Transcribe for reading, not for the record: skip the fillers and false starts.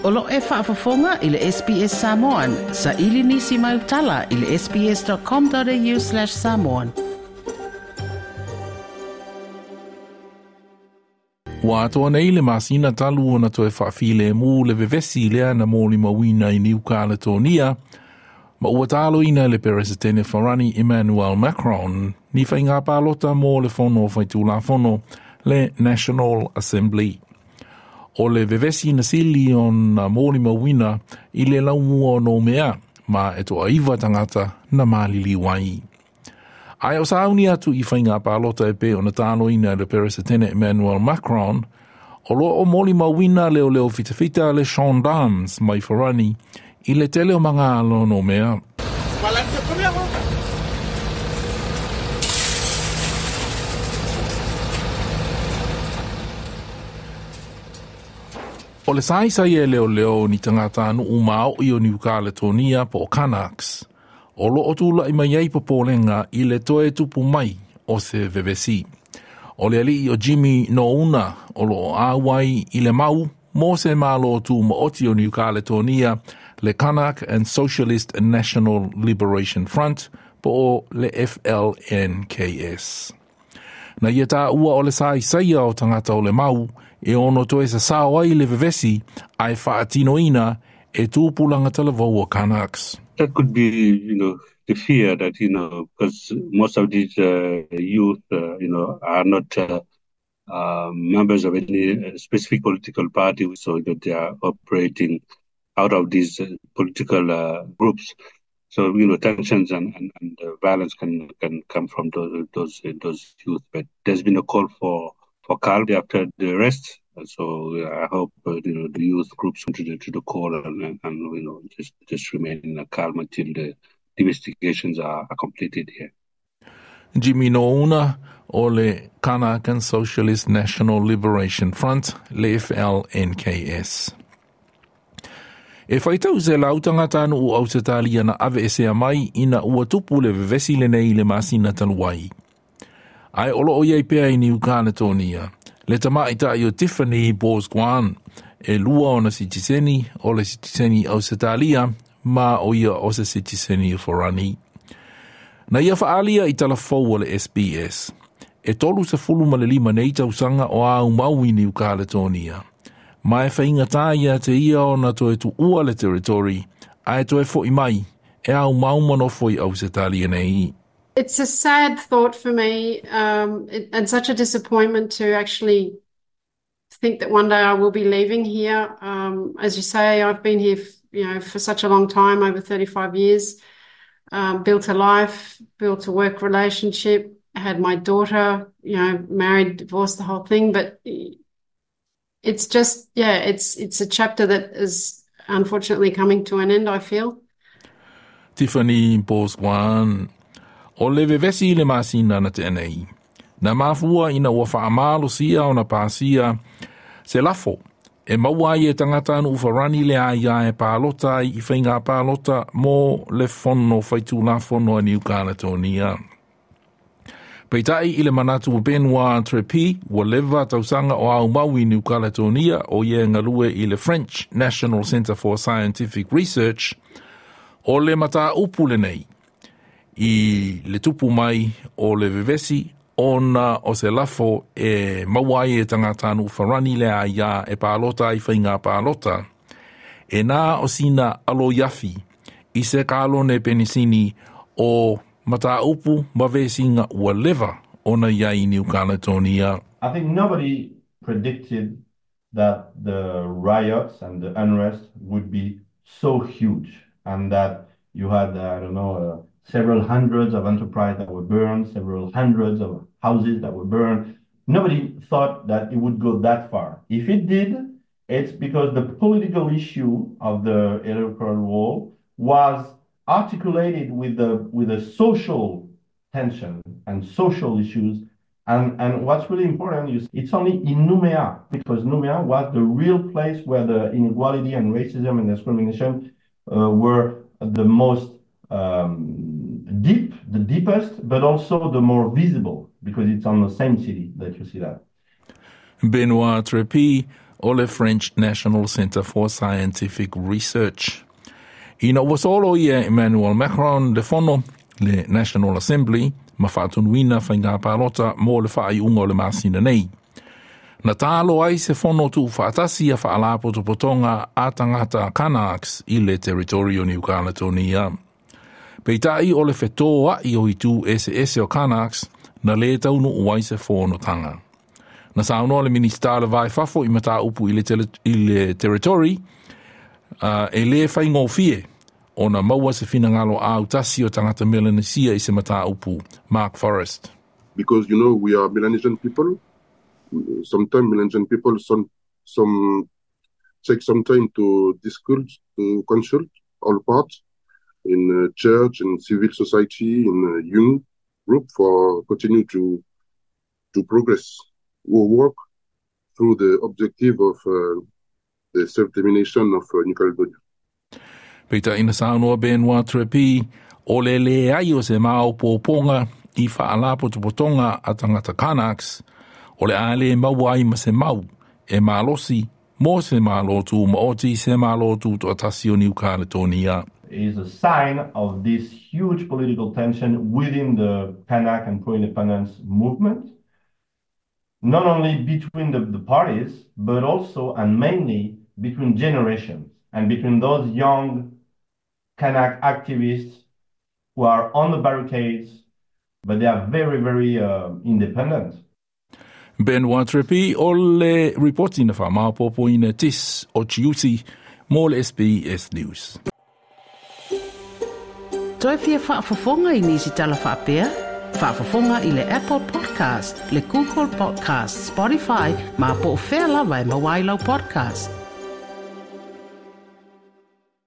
O lo e faafofoga i le SBS Samoan. Sa ili nisi mai utala i le sbs.com.au/samoan. Ua atoa nei le masina talu ona toe faafilemu le vevesi lea na molimauina i Niu Kaletonia, ma ua taloina le Peresetene Farani Emmanuel Macron ni faiga palota mo le fono faitulafono le National Assembly. O le vevesi na sili ona molimauina i le laumua o Noumea, ma e toaiva tagata na maliliu ai. Ae o sauni atu i faiga palota e pei ona taloina le Peresetene Emmanuel Macron, o lo o molimauina leoleo fitafita le gendarmes mai Farani i le tele o magalo o Noumea. O le saisai e leoleo ni tagata nuu maoi o Niu Kaletonia po o Kanaks, o lo o tula'i mai ai popolega i le toe tupu mai o se vevesi. O le alii o Jimmy Nouna o lo o auai i le mau mo se malo tumaoti o Niu Kaletonia le Kanak and Socialist National Liberation Front po o le FLNKS. Na ia taua o le saisaia o tagata o le mau e ono toe sasao ai le vevesi ae faatinoina e tupulaga talavou o Kanaks. That could be, the fear that, because most of these youth, are not members of any specific political party, so that they are operating out of these political groups. So, tensions and violence can come from those youth. But there's been a call for calm after the arrest. So I hope, the youth groups to the call and just remain calm until the investigations are completed here. Jimmy Nouna o le Kanakan Socialist National Liberation Front, le FLNKS. E whaitau se lau tagata nuu Ausetalia na ave e sea mai ina ua tupu le vevesi lenei le masina talu ai. Ae o lo o iai pea i Niu Kaletonia, le tamaita'i o Tiffany Bourgeois, e lua ona sitiseni o le sitiseni Ausetalia ma o ia o se sitiseni o Farani. Na ia faalia i talafou o le SBS, e 35 nei tausaga o aumau i Niu Kaletonia. Ma e faigata ia te ia ona toe tuua le territory, ae toe fo'i mai e aumau ma nofo i Ausetalia nei. It's a sad thought for me, and such a disappointment to actually think that one day I will be leaving here. As you say, I've been here, for such a long time, over 35 years, built a life, built a work relationship, had my daughter, married, divorced, the whole thing. But it's just, yeah, it's a chapter that is unfortunately coming to an end, I feel. Tiffany Bourgeois, o le vevesi le masina na tea nei. Na mafua ina ua faamalosia ona pasia se lafo e maua ai e tagata nuu Farani le aia e palota ai i faiga palota mo le fono faitulafono a Niu Kaletonia. Peitai i le manatu o Benoit Trepi, ua leva tausaga o aumau i Niu Kaletonia o ia galue i le French National Centre for Scientific Research, o le mataupu lenei i le tupu mai o le vevesi ona o se lafo e maua ai e tagata nuu Farani le aia e palota ai faiga palota. E na o sina aloiafi i se kalone penisini o mataupu ma vesiga ua leva ona iai Niu Kaletonia. I think nobody predicted that the riots and the unrest would be so huge and that you had, I don't know, several hundreds of enterprises that were burned, several hundreds of houses that were burned. Nobody thought that it would go that far. If it did, it's because the political issue of the electoral roll was articulated with a social tension and social issues. And what's really important is it's only in Noumea, because Noumea was the real place where the inequality and racism and discrimination were the most deep, the deepest, but also the more visible, because it's on the same city that you see that. Benoit Trepi o le French National Centre for Scientific Research. Ina ua solo ia Emmanuel Macron le fono le National Assembly ma faatonuina faiga palota mo le faaiuga o le masina nei. Na talo ai se fono tuufaatasi a faalapotopotoga a tagata Kanaks i le territory o New Caledonia. Peitai o le fetoai o itu eseese o Kanaks na lē taunuu ai se fonotaga. Na saunoa le Minista o le Va i Fafo i mataupu i le territory e lē faigofie ona maua se finagalo autasi o tagata Melanesia i se mataupu. Mark Forrest. Because we are Melanesian people. Sometimes Melanesian people some take some time to discuss, to consult all parts in church, in civil society, in young group for continue to progress or work through the objective of the self-determination of New Caledonia. Peitai na saunoa Benoit Trepi o le leai o se maopoopoga i faalapotopotoga a tagata Kanaks o le a lē maua ai ma se mau e malosi mo se Malo Tumaoti se Malo Tutoatasi o New Caledonia. Is a sign of this huge political tension within the Kanak and pro-independence movement, not only between the parties, but also and mainly between generations and between those young Kanak activists who are on the barricades, but they are very, very independent. Benoit Trepi o le ripoti na faamaopoopoina tis o Chiuti mo le SBS News. Toe fia faafofoga i nisi tala faapea? Faafofoga i le Apple Podcast, le Google Podcast, Spotify, ma po o fea lava e maua ai lau podcast.